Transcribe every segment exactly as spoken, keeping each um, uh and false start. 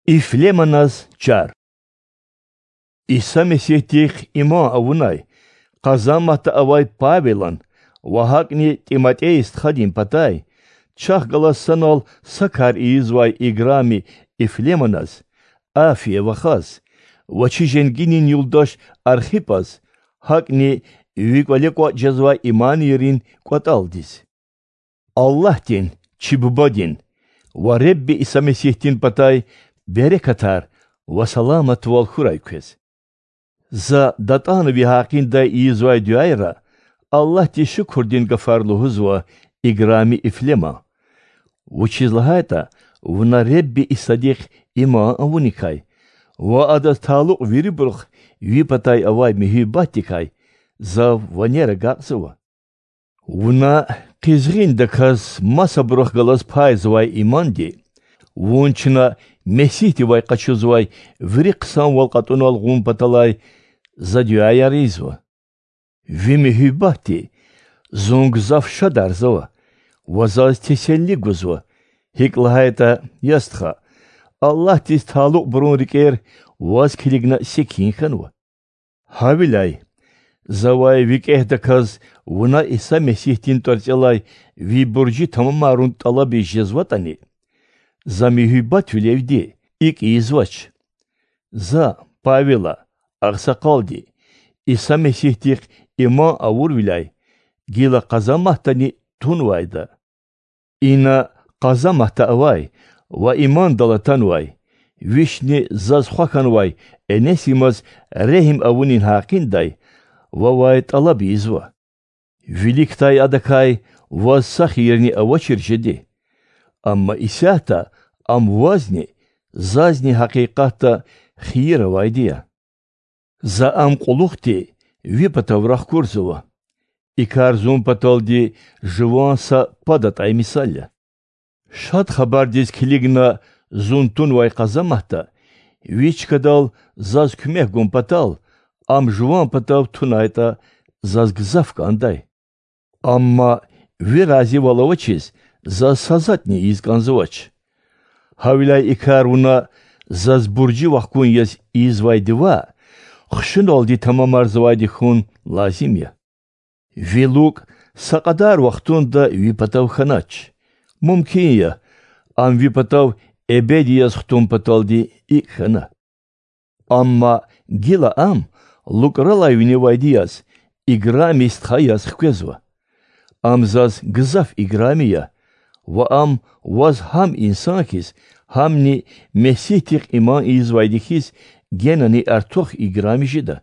Ифлеманаз чар. Иса Месигьдихъ иман авунай, къазанматда авай Павелан ва гьакӀни ТӀиматӀей стхадин патай чахъ галаз санал са кар ийизвай играми Ифлеманаз, Афия вахаз, ва чи женгинин юлдаш Архипаз, гьакӀни ви кӀвале кӀватӀ жезвай иманийрин кӀватӀалдиз. Аллагьдин, чи Бубадин ва Ребби Иса Месигьдин патай берекатар ва саламатвал хьурай квез. За датӀана ви гьакъиндай ийизвай дуьайра Аллагьдиз шукурдин гафар лугьузва, играми Ифлема, вучиз лагьайтӀа вуна Ребби Исадихъ иман авуникай ва Адаз талукь вирибурухъ ви патай авай муьгьуьббатдикай зав ванер агакьзава. Вуна къизгъиндаказ масабурухъ галаз пайзавай иманди, вун чна Месигьдивай къачузвай вири хъсанвал кьатӀунал гъун паталай за дуьаяр ийизва. Ви муьгьуьббатди зун гзаф шадарзава ва заз теселли гузва, гьикӀ лагьайтӀа, я стха, Аллагьдиз талукьбурун рикӀер ваз килигна секин хьанва. Гьавиляй завай викӀегьдаказ вуна Иса Месигьдин тӀварцӀелай ви буржи тамамарун тӀалабиз жезватӀани, за муьгьуьббатвилелди икӀ ийизвач. За, Павела, агъсакъалди, Иса Месигьдихъ иман авурвиляй гила къазанматдани тунвайда. Ина къазанматда авай ва имандал атанвай, вични заз хва хьанвай Энесимаз регьим авунин гьакъиндай вавай тӀалаб ийизва. Виликдай адакай ваз са хийирни авачир жеди. Амма исятда ам вазни, зазни гьакъикъатда хийир авайди я. За ам кьулухъди ви патав рахкурзава. И кар зун паталди жуван са пад атӀай мисал я. Шад Хабардиз килигна зун тунвай къазанматда, ви чкадал заз куьмек гун патал, ам жуван патав тунайтӀа, заз гзаф кӀандай. Амма ви разивал авачиз заз са затӀни ийиз кӀанзавач. Гьавиляй и кар вуна заз буржи вахкун яз ийизвайди ваъ, хушуналди тамамарзавайди хьун лазим я. Ви лукӀ са кьадар вахтунда ви патав хьанач. Мумкин я, ам ви патав эбеди яз хтун паталди икӀ хьана. Амма гила ам лукӀралай виневайди яз, играми стха яз хквезва. Ам заз гзаф играми я, ва ам ваз гьам инсан хьиз, гьамни Месигьдихъ иман ийизвайди хьиз, генани артух играми жеда.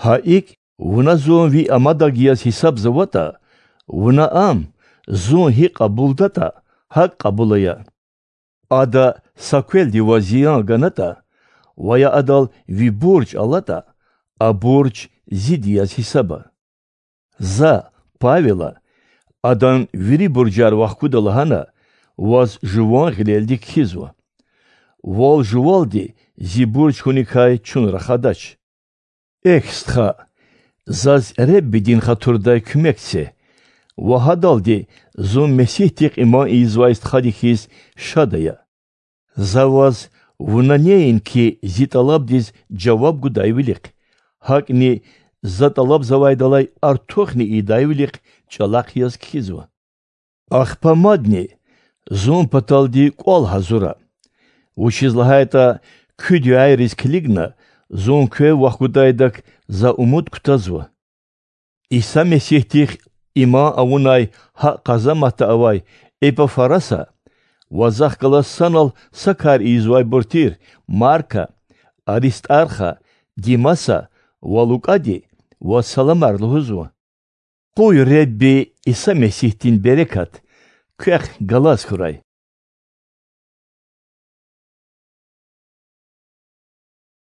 Гьа икӀ, вуна зун ви амадаг яз гьисабзаватӀа, вуна ам зун гьикӀ кьабулдатӀа, гьакӀ кьабул ая. Ада са квелди ваз зиян ганатӀа ва я адал ви бурж алатӀа, а бурж зид яз гьисаба. За, Павела, адан вири буржар вахкуда лагьана, ваз жуван гъилелди кхьизва. Вал-жувалди зи бурж хьуникай чун рахадач. Эхь, стха, заз Реббидин хатурдай куьмек це, ва гьадалди зун Месигьдихъ иман ийизвай стхади хьиз шад ая. За ваз вуна неинки зи тӀалабдиз жаваб гудайвилихъ, гьакӀни за тӀалабзавайдалай артухни ийидайвилихъ чӀалахъ яз кхьизва. Ахпа мадни зун паталди кӀвал гьазура, вучиз лагьайтӀа куь дуьайриз килигна зун квев вахкудайдак за умуд кутазва. Иса Месигьдихъ иман авунай гьакӀ къазанматда авай Эпафраса ва захъ галаз санал са кар ийизвайбур тир Марка, Аристарха, Димаса ва Лукьади ваз саламар лугьузва. Къуй Ребби Иса Месигьдин берекат квехъ галаз хьурай.